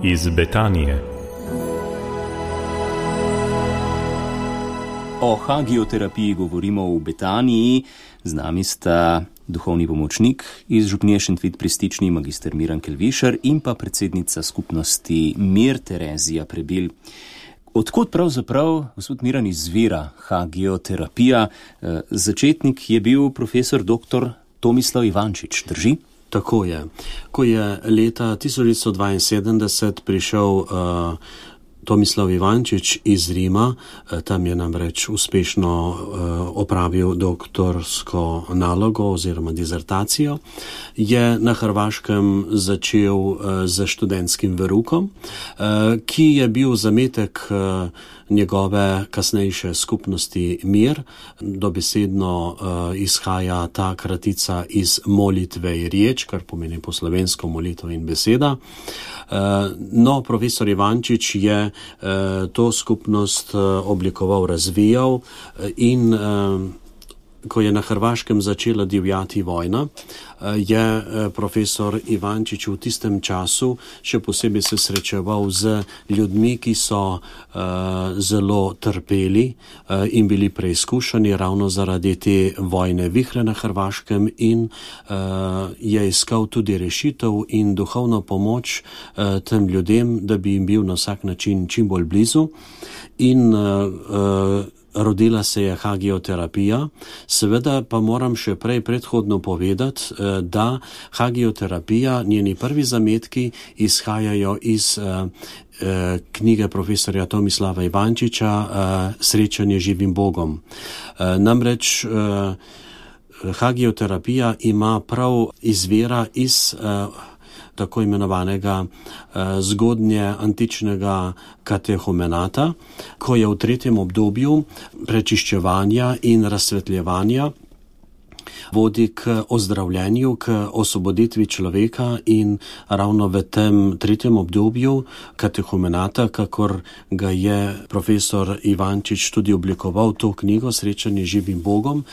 iz Betanije. O hagioterapiji govorimo v Betaniji. Z nami sta duhovni pomočnik iz župnije Šentvid pri Stični, magister Miran Kelvišar, in pa predsednica skupnosti Mir Terezija Prebil. Odkot pravzaprav, gospod Miran, izvira hagioterapija? Začetnik je bil profesor dr. Tomislav Ivančič, drži? Tako je. Ko je leta 1972 prišel Tomislav Ivančič iz Rima, tam je namreč uspešno opravil doktorsko nalogo oziroma dizertacijo, je na Hrvaškem začel z študentskim verukom, ki je bil zametek njegove kasnejše skupnosti Mir. Dobesedno izhaja ta kratica iz molitve in riječ, kar pomeni po slovensko molitev in beseda. No, profesor Ivančič je to skupnost oblikoval, razvijal in ko je na Hrvaškem začela divjati vojna, je profesor Ivančič v tistem času še posebej se srečeval z ljudmi, ki so zelo trpeli in bili preizkušeni ravno zaradi te vojne vihre na Hrvaškem in je iskal tudi rešitev in duhovno pomoč tem ljudem, da bi jim bil na vsak način čim bolj blizu. In rodila se je hagioterapija. Seveda pa moram še prej predhodno povedati, da hagioterapija, njeni prvi zametki izhajajo iz knjige profesorja Tomislava Ivančiča Srečanje z živim Bogom. Namreč hagioterapija ima prav izvira iz tako imenovanega zgodnje antičnega katehumenata, ko je v tretjem obdobju prečiščevanja in razsvetljevanja vodi k ozdravljenju, k osvoboditvi človeka in ravno v tem tretjem obdobju katehumenata, kakor ga je profesor Ivančič tudi oblikoval to knjigo Srečanje z živim Bogom,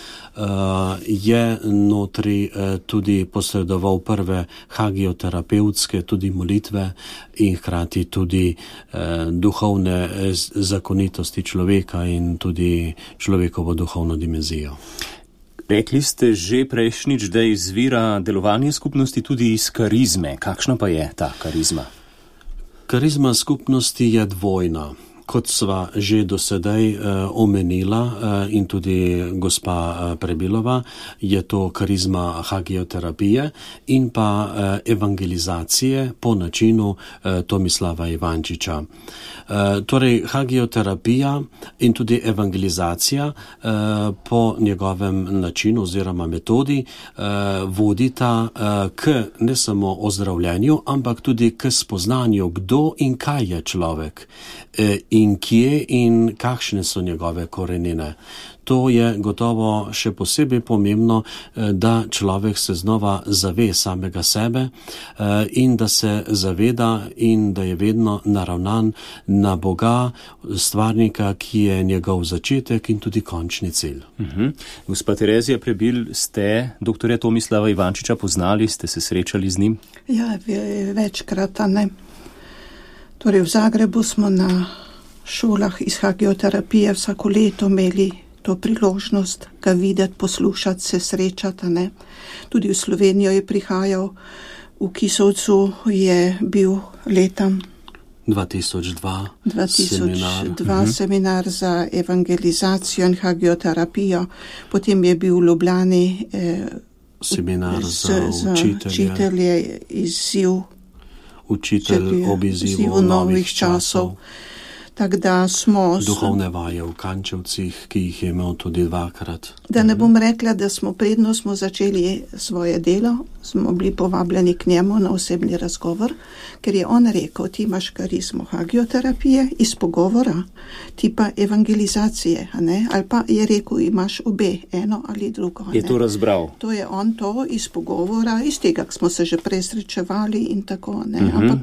je notri tudi posredoval prve hagioterapevtske tudi molitve in hkrati tudi duhovne zakonitosti človeka in tudi človekovo duhovno dimenzijo. Rekli ste že prejšnjič, da izvira delovanje skupnosti tudi iz karizme. Kakšna pa je ta karizma? Karizma skupnosti je dvojna. Kot sva že do sedaj omenila in tudi gospa Prebilova, je to karizma hagioterapije in pa evangelizacije po načinu Tomislava Ivančiča. Torej, hagioterapija in tudi evangelizacija po njegovem načinu oziroma metodi vodita k ne samo ozdravljenju, ampak tudi k spoznanju, kdo in kaj je človek in kje in kakšne so njegove korenine. To je gotovo še posebej pomembno, da človek se znova zave samega sebe in da se zaveda in da je vedno naravnan na Boga, stvarnika, ki je njegov začetek in tudi končni cilj. Gospa Terezija Prebil, ste doktorja Tomislava Ivančiča poznali, ste se srečali z njim? Ja, večkrat, ne. Torej, v Zagrebu smo na šolah iz hagioterapije vsako leto imeli to priložnost ga videti, poslušati, se srečati, ne. Tudi v Slovenijo je prihajal, v Kisovcu je bil leta 2002 seminar za evangelizacijo in hagioterapijo, potem je bil v Ljubljani seminar za učitelje, učitelj ob izzivu novih časov. Tako da smo duhovne vaje v Kančevcih, ki jih je imel tudi dvakrat. Da ne bom rekla, da predno smo začeli svoje delo, smo bili povabljeni k njemu na osebni razgovor, ker je on rekel, ti imaš karizmo hagioterapije iz pogovora, ti pa evangelizacije, ne? Ali pa je rekel, imaš obe, eno ali drugo. Je to razbral? To je on to iz pogovora, iz tega, ko smo se že presrečevali in tako, ne? Ampak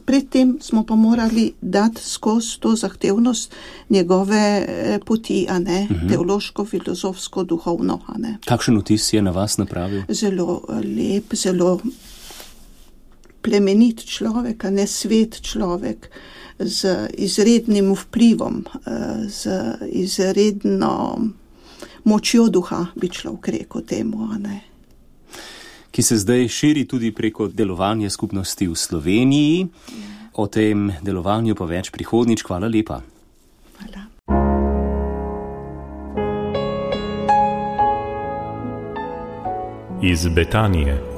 predtem smo pa morali dati skozi to zahtevnost njegove poti, a ne, teološko, filozofsko, duhovno, a ne. Kakšen vtis je na vas napravil? Zelo lep, zelo plemenit človek, a ne svet človek, z izrednim vplivom, z izredno močjo duha, bi človek rekel temu, a ne. Ki se zdaj širi tudi preko delovanja skupnosti v Sloveniji. O tem delovanju pa več prihodnjič. Hvala lepa. Hvala. Iz Betanije.